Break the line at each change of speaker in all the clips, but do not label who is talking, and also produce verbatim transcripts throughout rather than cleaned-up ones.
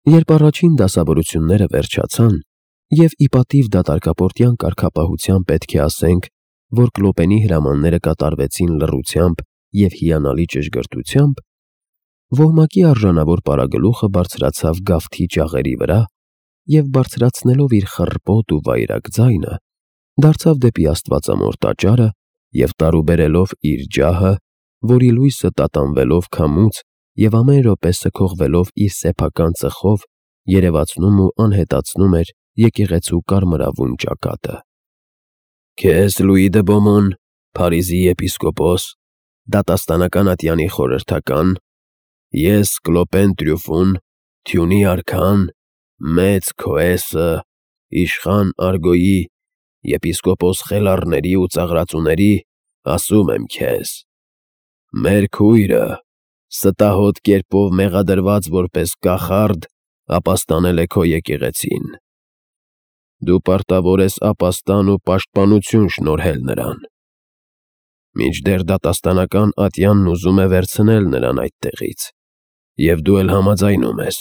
Երբ առաջին դասավորությունները վերջացան, և ի պատիվ դատարկապորտյան կարգապահության պետք է ասենք, որ Կլոպենի հրամանները կատարվեցին լռությամբ և հիանալի ճշգրտությամբ, ոհմակի արժանավոր պարագլուխը բարձրացավ գավթի ջաղերի վրա և, բարձրացնելով իր խռպոտ ու վայրագ ձայնը, դարձավ դեպի աստվածամոր տաճարը և տարուբերելով իր ջահը, որի լույսը տատանվելով քամուց և ամեն րոպե սքողվելով իր սեփական ծխով, երևացնում ու անհետացնում էր եկեղեցու կարմրավուն ճակատը։ «Քեզ, Լուի դը Բոմոն, Փարիզի եպիսկոպոս, դատաստանական ատյանի խորհրդական, ես Կլոպեն Տրյուֆուն, Թյունի արքան, մեծ Քոեսը, իշխան Արգոյի, եպիսկոպոս Խելառների ու Ծաղրածուների, ասում եմ քեզ. մեր քույրը, ստահոդ կերպով մեղադրված որպես կախարդ, ապաստանել է քո եկեղեցին։ Դու պարտավոր ես ապաստան ու պաշտպանություն շնորհել նրան, մինչդեռ դատաստանական ատյանն ուզում է վերցնել նրան այդտեղից, և դու էլ համաձայնում ես։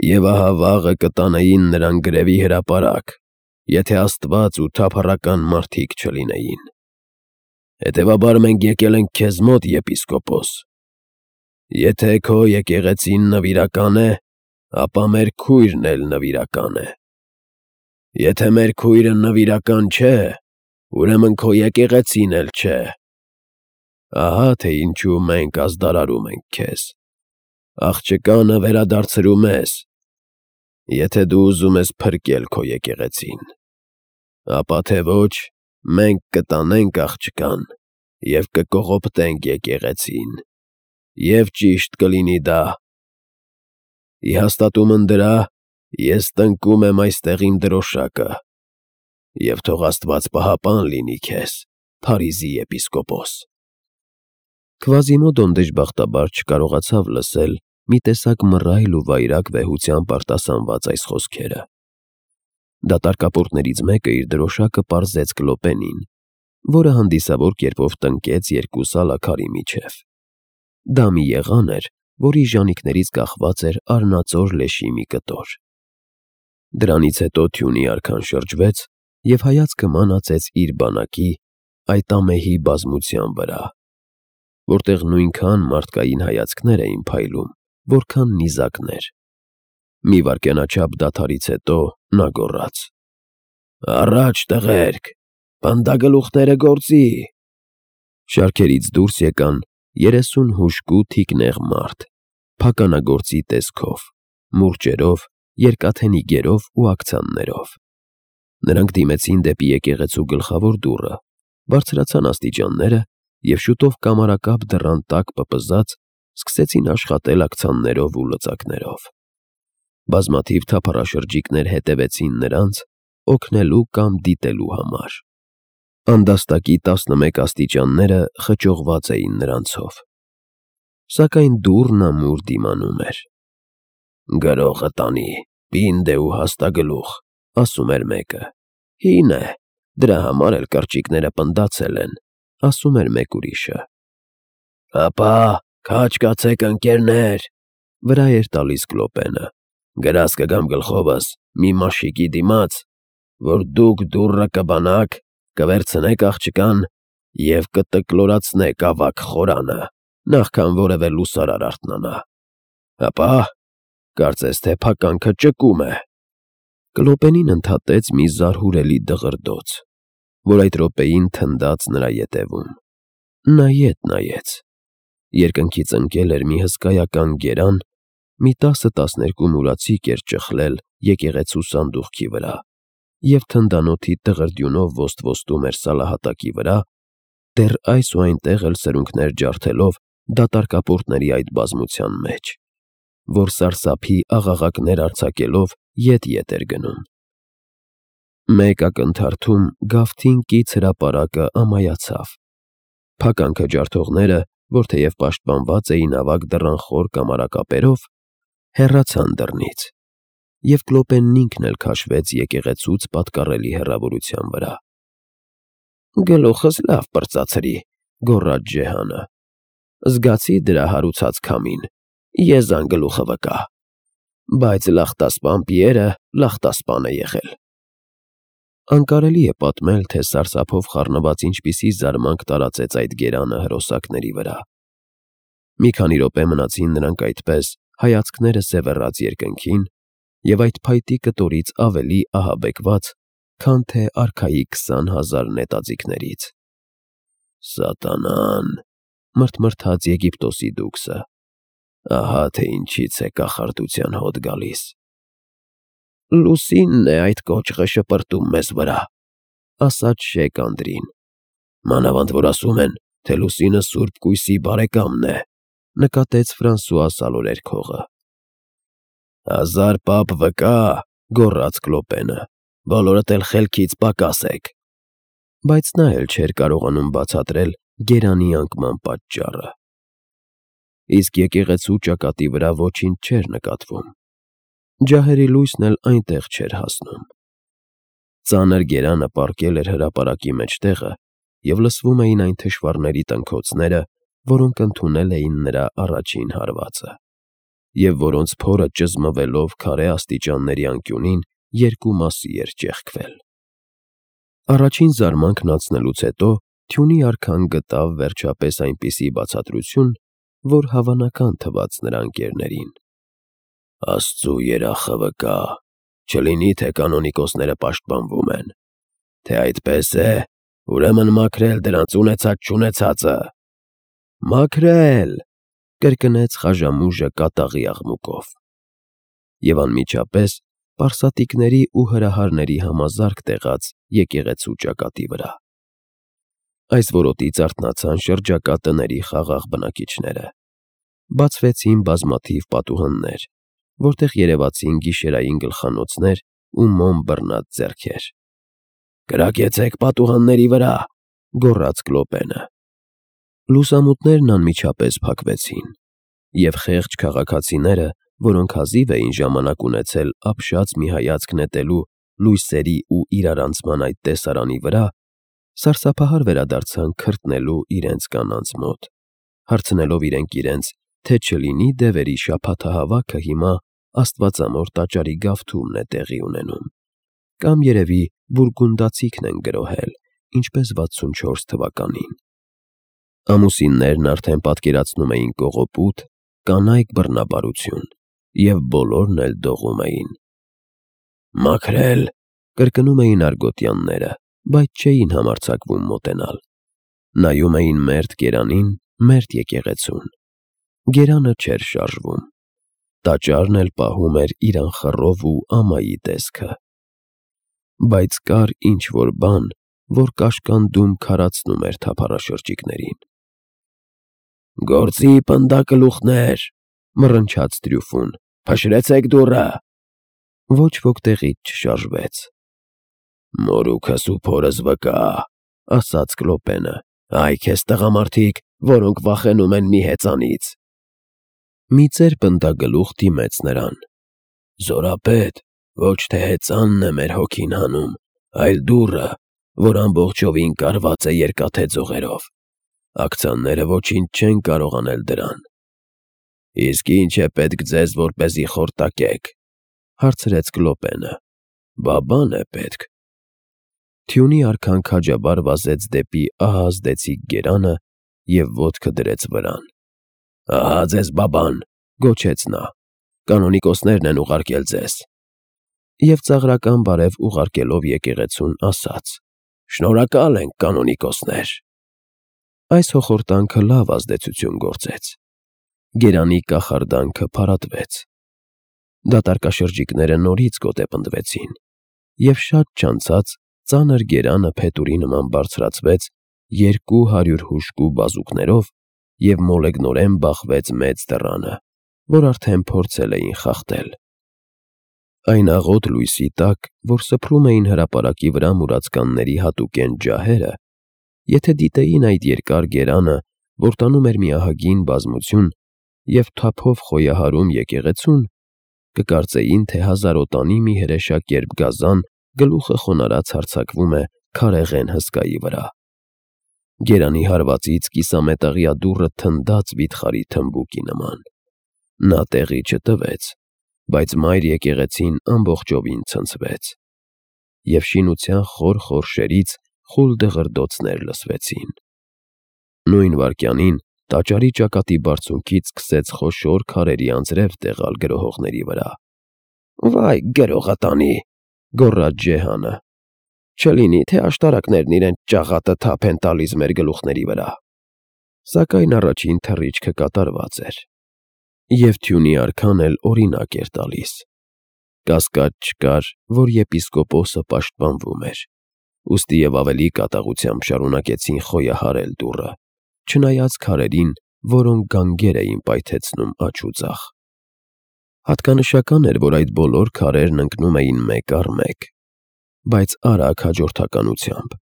Եվ ահա վաղը կտանեին նրան գրևի հրապարակ, եթե աստված ու թափառական մարդիկ չլինեին։ Հետևաբար մենք եկել ենք քեզ մոտ, եպիսկոպոս։ Եթե քո եկեղեցին նվիրական է, ապա մեր քույրն էլ նվիրական է։ Եթե մեր քույրը նվիրական չէ, ուրեմն քո եկեղեցին էլ չէ։ Ահա թե ինչու մենք ազդարարում ենք քեզ։ Աղջկանը վերադարձրու մեզ, եթե դու ուզում ես փրկել քո եկեղեցին, ապա թե ոչ, մենք կտանենք աղջկան և կկողոպտենք եկեղեցին, և ճիշտ կլինի դա։ Ի հաստատումն դրա ես տնկում եմ այստեղ իմ դրոշակը, և թող աստված պահապան լինի քեզ, Փարիզի եպիսկոպոս»։ Քվազիմոդոն դժբախտաբար չկարողացավ լսել մի տեսակ մռայլ ու վայրագ վեհությամբ արտասանված այս խոսքերը։ Դատարկապորտներից մեկը իր դրոշակը պարզեց Կլոպենին, որը հանդիսավոր կերպով տնկեց երկու սալաքարի միջև։ Դա մի եղան էր, որի ժանիքներից կախված էր արնածոր լեշի մի կտոր։ Դրանից հետո Թյունի արքան շրջվեց և հայացքը մանածեց իր բանակի, այդ ամեհի բազմության վրա, որտեղ նույնքան մարդկային հայացքներ էին փայլում, որքան նիզակներ։ Մի վայրկենաչափ դադարից հետո նա գոռաց. «Առաջ, տղերք, պնդագլուխները գործի»։ Շարքերից դուրս եկան երեսուն հուժկու թիկնեղ մարդ, փականագործի տեսքով, մուրճերով, երկաթենի գերով ու աքցաններով։ Նրանք դիմեցին դեպի եկեղեցու գլխավոր դուռը, բարձրացան աստիճանները և շուտով կամարակապ դռան տակ պպզած սկսեցին աշխատել աքցաններով ու լծակներով։ Բազմաթիվ թափառաշրջիկներ հետևեցին նրանց՝ օգնելու կամ դիտելու համար։ Անդաստակի տասնմեկ աստիճանները խճողված էին նրանցով։ Սակայն դուռն ամուր դիմանում էր։ «Գրողը տանի, պինդ է ու հաստագլուխ», ասում էր մեկը։ «Հին է, դրա համար էլ կրճիկները պնդացել են», ասում էր մեկ ուրիշը։ «Հապա, քաջ կացեք, ընկերներ», վրա էր տալիս Կլոպենը։ «Գրած կգամ գլխովս մի մաշիկի դիմաց, որ դուք դուռը կբանաք, կվերցնեք աղջկան և կտկլորացնեք ավագ խորանը, նախքան որևէ լուսարար արթնանա։ Հապա, կարծես թե փականքը ճկում է»։ Կլոպենին ընդհատեց մի զարհուրելի դղրդոց, որ այդ րոպեին թնդաց նրա ետևում։ Նա ետ նայեց։ Երկնքից ընկել էր մի հսկայական գերան, մի տասը֊տասներկու մուրացիկ էր ճխլել եկեղեցու սանդուղքի վրա և թնդանոթի տղրդյունով ոստվոստում էր սալահատակի վրա, դեռ այս ու այնտեղ էլ սրունքներ ջարդելով դատարկապորտների այդ բազմության մեջ, որ սարսափի աղաղակներ արձակելով ետ֊ետ էր գնում։ Մեկ ակնթարթում գավթին կից հրապարակը ամայացավ։ Փականքը ջարդողները, որ թեև պաշտպանված էին ավագ դռան խոր կամարակապերով, հեռացան դռնից, և Կլոպենն ինքն էլ քաշվեց եկեղեցուց պատկառելի հեռավորության վրա։ «Գլուխս լավ պրծացրի», գոռաց Ջեհանը։ «Զգացի դրա հարուցած քամին, եզան գլուխը վկա»։ բայց Լախտասպան Պիերը Լախտասպան է եղել։ Անկարելի է պատմել, թե սարսափով խառնված ինչպիսի զարմանք տարածեց այդ գերանը հրոսակների վրա։ Մի քանի րոպե մնացին նրանք այդպես, հայացքները սևեռած երկնքին, և այդ փայտի կտորից ավելի ահաբեկված, քան թե արքայի քսան հազար նետաձիգներից։ «Սատանան», մրթմրթաց Եգիպտոսի դուքսը, ահա թե ինչից է կախարդության հոտ գալիս։ «Լուսինն է այդ կոճղը շպրտում մեզ վրա», ասաց Շեյք Անդրին։ «Մանավանդ որ ասում են, թե լուսինը սուրբ կույսի բարեկամն է», նկատեց Ֆրանսուଆ Սալորերքողը։ «Հազար պապ վկա», գոռաց Կլոպենը, «բոլորդ էլ խելքից պակաս եք»։ Բայց նա էլ չէր կարողանում բացատրել գերանի անկման պատճառը։ Իսկ եկեղեցու ճակատի վրա ոչինչ չէր նկատվում։ Ջահերի լույսն էլ այնտեղ չէր հասնում։ Ծանր գերանը պառկել էր հրապարակի մեջտեղը, և լսվում էին այն թշվառների տնքոցները, որոնք ընդունել էին նրա առաջին հարվածը, և որոնց փորը ճզմվելով քարե աստիճանների անկյունին երկու մասի էր ճեղքվել։ Առաջին զարմանքն անցնելուց հետո թյունի արքան գտավ վերջապես այնպիսի բացատրություն, որ հավանական թվաց նրա ընկերներին։ «Աստծու երախը վկա, չլինի թե կանոնիկոսները պաշտպանվում են։ Թե այդպես է, ուրեմն մաքրել դրանց ունեցած֊չունեցածը»։ «Մաքրել», կրկնեց Խաժամուժը կատաղի աղմուկով։ Եվ անմիջապես պարսատիկների ու հրահարների համազարկ տեղաց եկեղեցու ճակատի վրա։ Այս որոտից արթնացան շրջակա տների խաղաղ բնակիչները։ Բացվեցին բազմաթիվ պատուհաններ, որտեղ երևացին գիշերային գլխանոցներ ու մոմ բռնած ձեռքեր։ «Կրակեցեք պատուհանների վրա», գոռաց Կլոպենը։ Լուսամուտներն անմիջապես փակվեցին, և խեղճ քաղաքացիները, որոնք հազիվ էին ժամանակ ունեցել ապշած մի հայացք նետելու լույսերի ու իրարանցման այդ տեսարանի վրա, սարսափահար վերադարձան քրտնելու իրենց կանանց մոտ, հարցնելով իրենք իրենց, թե չլինի դևերի շաբաթահավաքը հիմա աստվածամոր տաճարի գավթումն է տեղի ունենում, կամ երևի բուրգունդացիքն են գրոհել, ինչպես վաթսունչորս թվականին։ Ամուսիններն արդեն պատկերացնում էին կողոպուտ, կանայք բռնաբարություն, և բոլորն էլ դողում էին։ «Մաքրել», կրկնում էին արգոտյանները, բայց չէին համարձակվում մոտենալ։ Նայում էին մերթ գերանին, մերթ եկեղեցուն։ Գերանը չէր շարժվում։ Տաճարն էլ պահում էր իր անխռով ու ամայի տեսքը։ Բայց կար ինչ֊որ բան, որ կաշկանդում քարացնում էր թափառաշրջիկներին։ «Գործի պնդակլուխներ», մռնչաց Տրյուֆուն, «փշրեցեք դուռը»։ Ոչ ոք տեղից չշարժվեց։ «Մորուքս ու փորս վկա», ասաց Կլոպենը, «այ քեզ տղամարդիկ, որոնք վախենում են մի հեծանից»։ Մի ծեր պնդագլուխ դիմեց նրան։ «Զորապետ, ոչ թե հեծանն է մեր հոգին հանում, այլ դուռը, որ ամբողջովին կարված է երկաթե ձողերով։ Աքցանները ոչինչ չեն կարող անել դրան»։ «Իսկ ի՞նչ է պետք ձեզ, որպեսզի խորտակեք», հարցրեց Կլոպենը։ «Բա բան է պետք»։ Թյունի արքան քաջաբար վազեց դեպի ահազդեցիկ գերանը և ոտքը դրեց վրան։ «Ահա ձեզ բաբան», գոչեց նա, «կանոնիկոսներն են ուղարկել ձեզ»։ Եվ ծաղրական բարև ուղարկելով եկեղեցուն, ասաց. «Շնորհակալ ենք, կանոնիկոսներ»։ Այս հոխորտանքը լավ ազդեցություն գործեց։ Գերանի կախարդանքը փարատվեց։ Դատարկաշրջիկները նորից գոտեպնդվեցին, և շատ չանցած ծանր գերանը փետուրի նման բարձրացվեց երկու հարյուր հուժկու բազուկներով և մոլեգնորեն բախվեց մեծ դռանը, որ արդեն փորձել էին խախտել։ Այն աղոտ լույսի տակ, որ սփռում էին հրապարակի վրա մուրացկանների հատուկենտ ջահերը, եթե դիտեին այդ երկար գերանը, որ տանում էր մի ահագին բազմություն և թափով խոյահարում եկեղեցուն, կկարծեին, թե հազարոտանի մի հրեշակերպ գազան գլուխը խոնարհած հարձակվում է քարեղեն հսկայի վրա։ Գերանի հարվածից կիսամետաղյա դուռը թնդաց վիթխարի թմբուկի նման։ Նա տեղի չտվեց, բայց մայր եկեղեցին ամբողջովին ցնցվեց, և շինության խոր խորշերից խուլ դղրդոցներ լսվեցին։ Նույն վայրկյանին տաճարի ճակատի բարձունքից սկսեց խոշոր քարերի անձրև տեղալ գրոհողների վրա։ «Վայ գրողը տանի», գոռաց Ջեհանը, «չլինի, թե աշտարակներն իրենց ճաղատը թափ են տալիս մեր գլուխների վրա»։ Սակայն առաջին թռիչքը կատարված էր, և թյունի արքան էլ օրինակ էր տալիս։ Կասկած չկար, որ եպիսկոպոսը պաշտպանվում էր, ուստիև ավելի կատաղությամբ շարունակեցին խոյահարել դուռը, չնայած քարերին, որոնք գանգեր էին պայթեցնում աջ ու ձախ։ Հատկանշական էր, որ այդ բոլոր քարերն ընկնում էին մեկ առ մեկ, բայց արագ հաջորդականությամբ։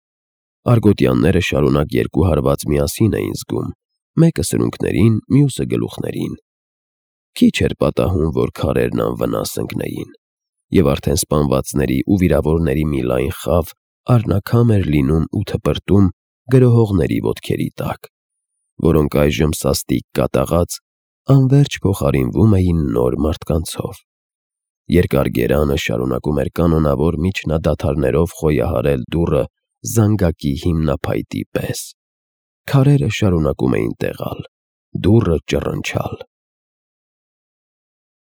Արգոտյանները շարունակ երկու հարված միասին էին զգում, մեկը սրունքներին, մյուսը գլուխներին։ Քիչ էր պատահում, որ քարերն անվնաս ընկնեին, և արդեն սպանվածների ու վիրավորների մի լայն խավ առնաքամ էր լինում ու թպրտում գրոհողների ոտքերի տակ, որոնք այժմ սաստիկ կատաղած անվերջ փոխարինվում էին նոր մարդկանցով։ Երկար գերանը շարունակում էր կանոնավոր միջնադադարներով խոյահարել դուռը զանգակի հիմնափայտի պես։ Քարերը շարունակում էին տեղալ, դուռը ճռնչալ։